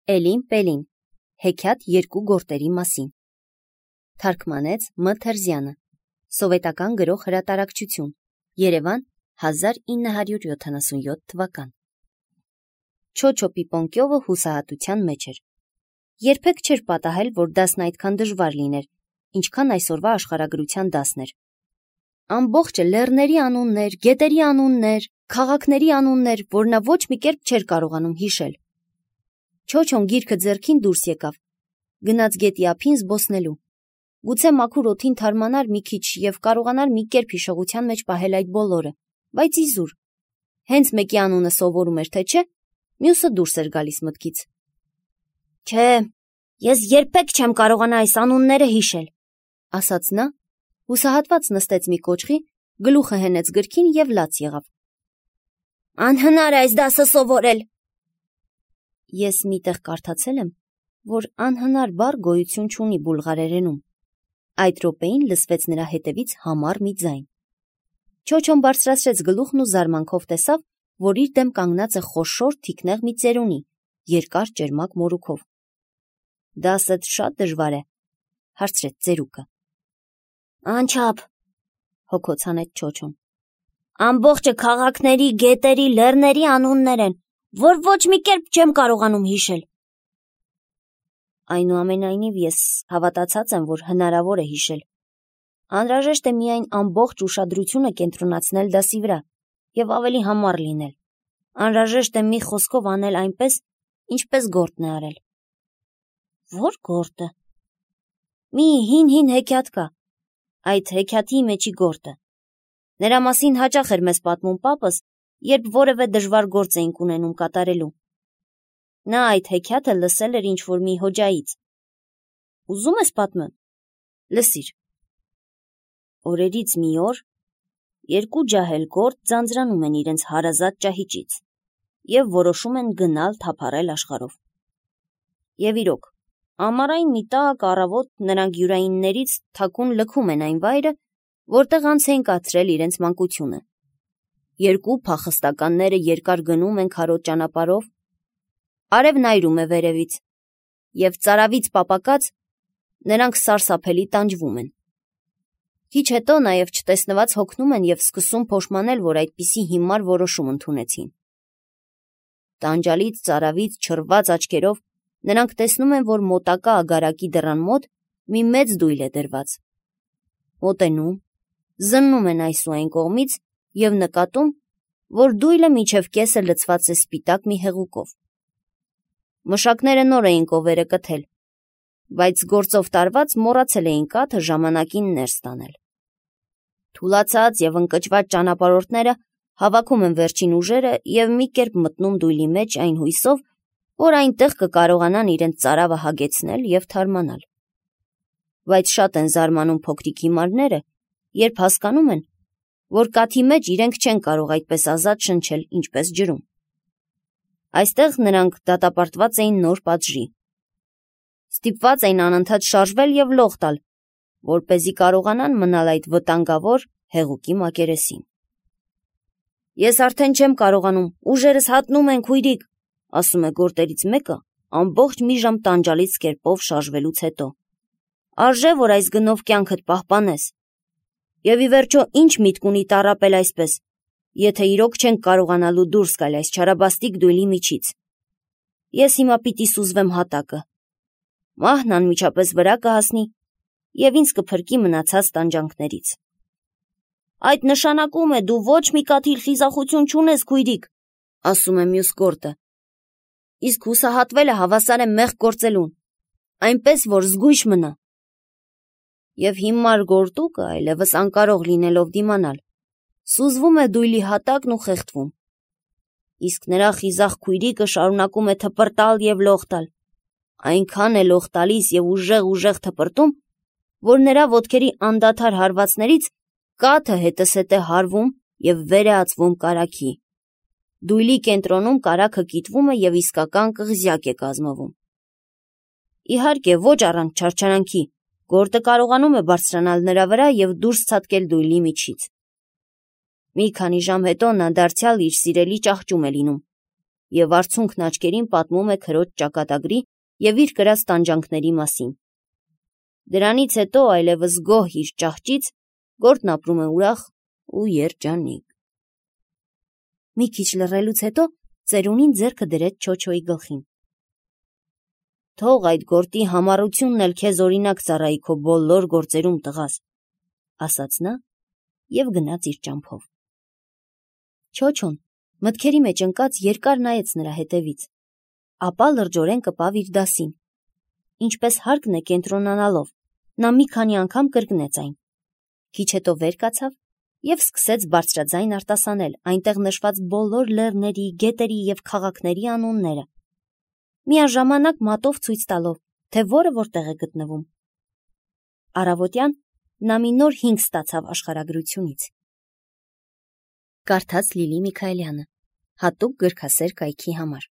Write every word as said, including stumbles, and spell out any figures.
Էլին Պելին, հեքիաթ երկու գորտերի մասին։ Թարգմանեց Մ. Թերզյանը, Սովետական գրող հրատարակչություն, Երևան, հազար ինը հարյուր յոթանասունյոթ թվական։ Չոչո Պիպոնկյովը հուսահատության մեջ էր։ Երբեք չէր պատահել, որ դասն այդքան դժվար լիներ, ինչքան այսօրվա աշխարհագրության դասն էր։ Ամբողջը լեռների անուններ, գետերի անուններ, քաղաքների անուններ, որ նա ոչ մի կերպ չէր կարողանում հիշել։ Չոչոն գիրքը ձեռքին դուրս եկավ, գնաց գետի ափին զբոսնելու։ Գուցե մաքուր օդին թարմանար մի քիչ եւ կարողանար մի կերպ հիշողության մեջ պահել այդ բոլորը, բայց իզուր։ Հենց մեկի անունը սովորում էր, թե չէ, մյուսը դուրս էր գալիս մտքից։ Չէ, ես երբեք չեմ կարողանա այս անունները հիշել, ասաց նա, հուսահատված նստեց մի կոճղի, գլուխը հենեց գրքին եւ լաց եղավ։ Անհնար է այս դասը սովորել։ Ես միտեղ կարդացել եմ, որ անհնար բառ գոյություն չունի բուլղարերենում։ Այդ րոպեին լսվեց նրա հետևից համառ մի ձայն։ Չոչոն բարձրացրեց գլուխն ու զարմանքով տեսավ, որ իր դեմ կանգնած է խոշոր թիկնեղ մի ծերունի, երկար ճերմակ մորուքով։ Դասդ շատ դժվար է, հարցրեց ծերուկը։ Անչափ, հոգոց հանեց Չոչոն։ Ամբողջը քաղաքների, գետերի, լեռների անուններ են, որ ոչ մի կերպ չեմ կարողանում հիշել։ Այնուամենայնիվ ես հավատացած եմ, որ հնարավոր է հիշել։ Անհրաժեշտ է միայն ամբողջ ուշադրությունը կենտրոնացնել դասի վրա եւ ավելի համառ լինել։ Անհրաժեշտ է մի խոսքով անել այնպես, ինչպես գորտն է արել։ Ո՞ր գորտը։ Մի հին-հին հեքիաթ կա, այդ հեքիաթի մեջի գորտը։ Նրա մասին հաճախ էր մեզ պատմում պապս, երբ որևէ դժվար գործ էինք ունենում կատարելու։ Նա այդ հեքիաթը լսել էր ինչ-որ մի հոջայից։ Ուզում ես պատմեմ։ Լսիր։ Օրերից մի օր երկու ջահել գորտ ձանձրանում են իրենց հարազատ ճահիճից եւ որոշում են գնալ թափառել աշխարհով։ Եվ իրոք, ամառային մի տաք առավոտ նրանք յուրայիններից թաքուն լքում են այն վայրը, որտեղ անց են կացրել իրենց մանկությունը։ Երկու փախստականները երկար գնում են քարոտ ճանապարհով, արևն այրում է վերևից, եւ ծարավից պապակած նրանք սարսափելի տանջվում են։ Քիչ հետո նաեւ չտեսնված հոգնում են եւ սկսում փոշմանել, որ այդպիսի հիմար որոշում ընդունեցին։ Տանջալից ծարավից չռված աչքերով նրանք տեսնում են, որ մոտակա ագարակի դռան մոտ մի մեծ դույլ է դրված։ Մոտենում, զննում են այս ու այն կողմից եւ նկատում, որ դույլը միջև կեսը լցված է սպիտակ մի հեղուկով։ Մշակները նոր էին կովերը կթել, բայց գործով տարված մոռացել էին կաթը ժամանակին ներս տանել։ Թուլացած եւ ընկճված ճանապարհորդները հավաքում են վերջին ուժերը եւ մի կերպ մտնում դույլի մեջ այն հույսով, որ այնտեղ կկարողանան իրենց ծարավը հագեցնել եւ թարմանալ։ Բայց շատ են զարմանում փոքրիկ հիմարները, երբ հասկանում են, որ կաթի մեջ իրենք չեն կարող այդպես ազատ շնչել, ինչպես ջրում։ Այստեղ նրանք դատապարտված էին նոր պատժի։ Ստիպված էին անընդհատ շարժվել եւ լող տալ, որպեսզի կարողանան մնալ այդ վտանգավոր հեղուկի մակերեսին։ Ես արդեն չեմ կարողանում, ուժերս հատնում են, քույրիկ, ասում է գորտերից մեկը, ամբողջ մի ժամ տանջալից կերպով շարժվելուց հետո։ Արժե, որ այս գնով կյանքդ պահպանես։ Եվ ի վերջո ինչ միտք ունի տառապել այսպես, եթե իրոք չենք կարողանալու դուրս գալ այս չարաբաստիկ դույլի միջից։ Ես հիմա պիտի սուզվեմ հատակը։ Մահն անմիջապես վրա կհասնի եւ ինձ կփրկի մնացած տանջանքներից։ Այդ նշանակում է դու ոչ մի կաթիլ խիզախություն չունես, քույրիկ, ասում է մյուս գորտը։ Իսկ հուսահատվելը հավասար է մեղք գործելուն, այնպես որ զգույշ մնա։ Եվ հիմար գորտուկը այլևս անկարող լինելով դիմանալ, սուզվում է դույլի հատակն ու խեղդվում։ Իսկ նրա խիզախ քույրիկը շարունակում է թպրտալ եւ լող տալ, այնքան է լող տալիս եւ ուժեղ-ուժեղ թպրտում, որ նրա ոտքերի անդադար հարվածներից կաթը հետզհետե հարվում եւ վեր է ածվում կարագի։ Դույլի կենտրոնում կարագը կիտվում է եւ իսկական կղզյակ է կազմվում։ Իհարկե, ոչ առանց չարչարանքի, գորտը կարողանում է բարձրանալ նրա վրա եւ դուրս ցատկել դույլի միջից։ Մի քանի ժամ հետո նա դարձյալ իր սիրելի ճահճում է լինում և արցունքն աչքերին պատմում է քրոջ ճակատագրի և իր կրած տանջանքների մասին։ Դրանից հետո այլևս գոհ իր ճահճից, Գորտն ապրում է ուրախ ու երջանիկ։ Մի քիչ լռելուց հետո ծերունին ձեռքը դրեց Չոչոյի գլխին։ «Թող այդ Գորտի համառությունն էլ քեզ օրինակ ծառայի քո բոլոր գործերում, տղաս», ասաց նա և գնաց իր ճամփով։ Չոչոն մտքերի մեջ ընկած երկար նայեց նրա հետևից, ապա լրջորեն կպավ իր դասին։ Ինչպես հարկն է կենտրոնանալով, նա մի քանի անգամ կրկնեց այն։ Քիչ հետո վեր կացավ և սկսեց բարձրաձայն արտասանել այնտեղ նշված բոլոր լեռների, գետերի և քաղաքների անունները, միաժամանակ մատով ցույց տալով, թե որը որտեղ է գտնվում։ Առավոտյան նա մի նոր հինգ ստացավ աշխարհագրությունից։ Կարդաց Լիլի Միքայելյանը, հատուկ գրքասեր կայքի համար։